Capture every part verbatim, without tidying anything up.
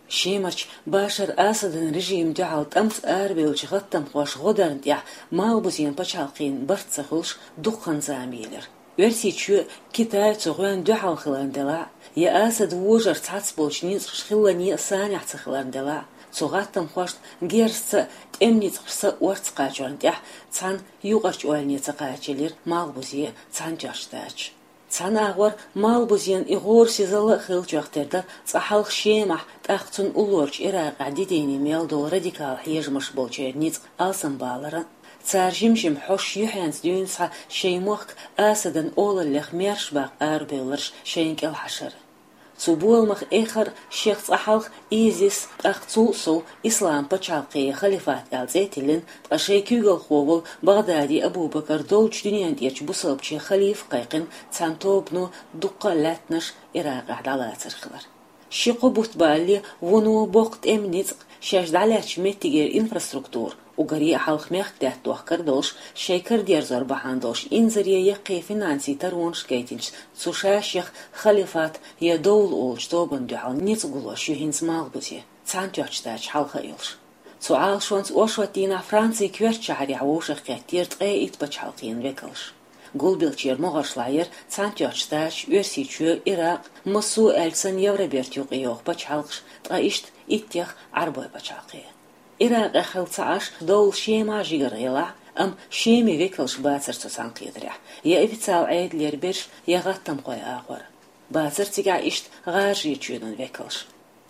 Шемарчу Башар Асадан режима дуьхьал тӀамца арабевллачу гӀаттамхоша гӀо дарна тӀехь Малхбузен пачхьалкхана барт ца хуьлуш дуккха хан зама елира. Оьрсийчоь, Китай цу гӀоьнна дуьхьал хиларна делахь а, я Асадан вожарша цхьацца болчу ницкъаша хилларг санехь ца хиларна делахь а, цу гӀаттамхошна герзаца а, тӀеман ницкъашца а орца кхачорна тӀехь цхьана юкъарчу ойлане ца кхачаелира Малхбузе Цхьаьнатоьхначу Штаташа. Цхьана агӀор Малхбузен и гӀорасизалла а хиллачех тера дара цкъа хьалха Шемахь, тӀаккха цунна уллорчу Иракъехь дидийне мел долу радикал хьежамаш болчеран ницкъ алсамбаларан а, цара жим-жима хьош юьхьанца дуьйна схьа шайн мохк Асадан олаллех маьрша баккха арабевлларш шайна кӀелхьашар а. Цу боламах эххар а шех цкъа хьалха ИЗИС, тӀаккха цул а сов Ислам пачхьалкх я халифат аьлла цӀе а тиллина, ткъа шайн куьйгалхо волу БагӀдади Абу-Бакар долчу дуьнен тӀерачу бусалбачийн халифа кхайкхина цхьана тобано дуккха а лаьттанаш Иракъехь дӀалацар хилар. Ши-кхо бутт балале вуно боккха тӀеман ницкъ, шаьш дӀалаьцначу меттигера инфраструктура, уггаре а хьалха мехкдаьтта дохкар а долуш, шайн кара дерзор бахьана долуш инзаре яккхий финансийн таронаш гайтинчу цу ша-шех халифат я довла олучу тобанна дуьхьал ницкъ гулош ю хӀинца Малхбузе, Цхьаьнатоьхначу Штаташа хьалха а йолуш. Цу Ӏалашонца оршот дийнахь Францин коьртачу шахьарехь вовшахкхеттера ткъе итт пачхьалкхийн векалш. Гулбеллачеран могӀаршлахь яра Цхьаьнатоьхначу Штаташ, Оьрсийчоь, Иракъ, массо а аьлча санна Евробертан юкъа йогӀу пачхьалкхаш, ткъа иштта иттех Ӏарбойн пачхьалкх. Иракъехь хилла ца Ӏаш, довла Шемахь жигара елахь а, амма Шеман векалш бацара цу цхьаьнакхетарехь, я официалан Ӏедалера берш, я гӀаттамхойн агӀор. Бацара цигахь иштта ГӀажарийчоьнан векалш.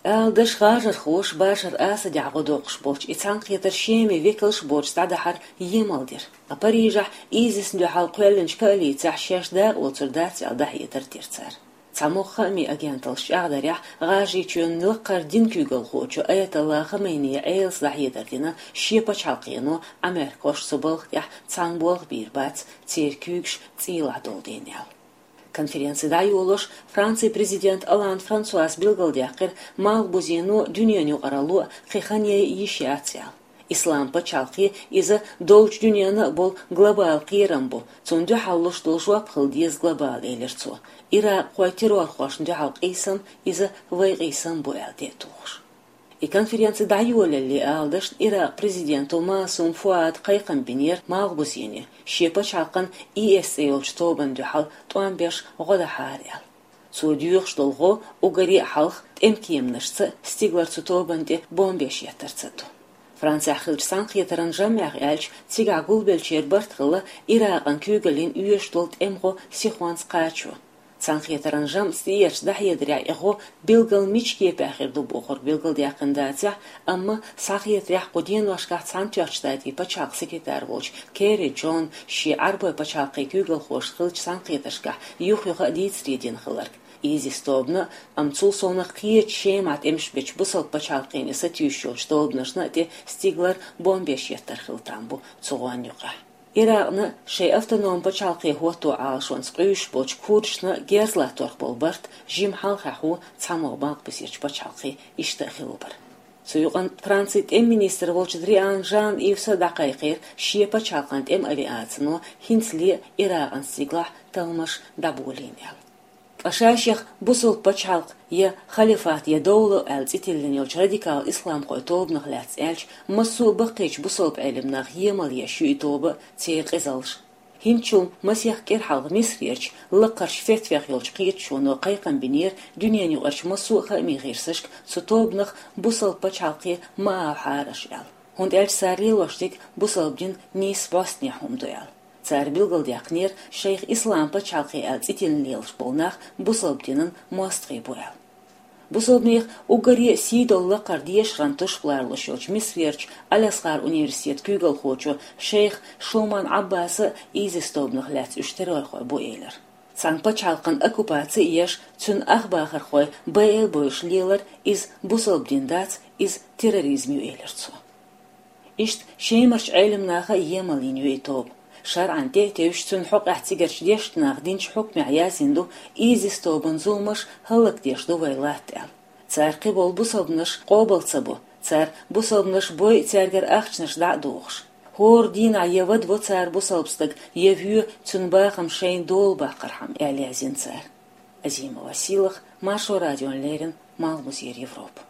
Ала даш, гӀажархоша Башар Асадехь гӀо доккхуш болчу и цхьаьнакхетар Шеман векалш боцуш дӀадахьар емал дира. Ткъа Парижехь ИЗИС-на дуьхьал кхоьллинчу коалицехь шаьш дакъа лоцур дац аьлла дӀахьедар дира цара. Цхьа могӀа хаамийн агенталлаш чӀагӀдарехь, ГӀажарийчоьнан лакхара динан куьйгалхочо Аятолла Хаменеи Ӏелас дӀахьедар дина, шен пачхьалкхо Ӏамеркахоша цу балха тӀехь цхьана болх бийр бац, церан куьйгаш цӀийлахь долу дела аьлла. Конференци дӀайолош, Францин президент Олланд Франсуас билгалдаьккхира, Малхбузено дуьненан юкъаралло кхин хан яйа йиш яц аьлла. Ислам пачхьалкх иза долчу дуьненна а болу глобалан кхерам бу, цунна дуьхьал луш долу жоп хила деза глобалан, элира цо. Иракъхойн террорхошна дуьхьал къийсам иза вайн къийсам бу аьлла, тӀе а тухуш. И конференци дӀайолале, ала дашна, Иракъан президенто Маасум Фуада кхайкхам бинера Малхбузене, шен пачхьалкхана ИС цӀе йолчу тобанна дуьхьал тӀом беш гӀо дахьара аьлла. Цо доьхуш долу гӀо уггаре а хьалха тӀеман кеманашца а, стигалара цу тобанна тӀе бомбеш еттарца а ду. Францехь хиллачу цхьаьнакхетаран жамӀех аьлча, цигахь гулбеллачеран барт хилла Иракъан куьйгаллин оьшуш долу тӀеман гӀо сихонца кхачо. Цхьаьнакхетаран жамӀаца тӀеэцначу дӀахьедарехь и гӀо билггал мича кепехь хир ду бохург билгалдаьккхина дацахь а, амма схьахетарехь кху деношкахь Цхьаьнатоьхначу Штатийн пачхьалкхан секретарь волчу Керри Джона шен Ӏарбойн пачхьалкхийн куьйгалхошца хиллачу цхьаьнакхетаршкахь юх-юха а дийцаре дина хилларг, ИЗИС тобанна а, амма цул совнаха кхечу Шемахь тӀемаш бечу бусалба пачхьалкхийн сатуьйсуш йолчу тобанашна а тӀе стигалара бомбеш еттар хила там бу цу гӀонна юкъахь. Иракъна шайн автономи пачхьалкхе хӀотто Ӏалашонца къуьйсуш болчу курдашна герз латторах болу барт жимма хьалхахь ву цхьамогӀа Малхбузерчу пачхьалкхийн иштта а хилла бара. Цу юкъанна Францин тӀеман министр волчу Дриан Жан-Ивса дӀакхайкхийра шен пачхьалкхан тӀеман авиацино хӀинцале а Иракъан стигалахь талламаш дӀаболийна аьлла. Ткъа ша-шех бусалба пачхьалкх я халифат я довла аьлла цӀе тиллина йолчу радикал исламхойн тобанах лаьцна аьлча, массо а баккхийчу бусалба Ӏелам наха емал еш ю и тоба а, церан къизаллаш. ХӀинцачул масех кӀира хьалха Мисрерчу лакхарчу фетвех йолчу кхеташоно кхайкхам бинера дуьненаюкъарчу массо а хаамийн гӀирсашка цу тобанах бусалба пачхьалкхе ма агӀахьара аша аьлла, хӀунда аьлча цара лелош дерг бусалба дин нийса бӀостанехьа хӀума ду аьлла. Цара билгалдаьккхинера, шайх ислам пачхьалкхе аьлла цӀе тиллина лелаш болу нах бусалба динан мостагӀий бу аьлла. Бусалбанех уггаре а сий долу лакхара дешаран тушпалар луш йолчу Мисрерчу Аль-Азхар университетан куьйгалхочо шайх Шуман Ӏаббаса а ИЗИС тобанах лаьцна уьш террорхой бу элира. Цхьана пачхьалкхан оккупаци а еш, цуьнан ахбахархой байъа а бойуш лелар, иза бусалба дин дац, иза терроризм ю, элира цо. Иштта Шемарчу Ӏелам наха а емал йина ю и тоба. ШарӀан тӀе а тевжаш, цуьнан хьокъехь цигарчу дешначу наха динчу хьукмехь яздина ду, ИЗИС тобанан зуламаш хӀаллакдеш ду вай латта аьлла. Цара кхиболу бусалбанаш къобал ца бо, цара бусалбанаш бойу цаьргара ахчанаш дӀа а дохуш. ХӀора дийнахь я вада во цара бусалба стаг, я воь цуьнан бахам шайна дола баккхархьама, аьлла яздина цара. Азима Василах, Маршо радиона леррина, Малхбузера Европа.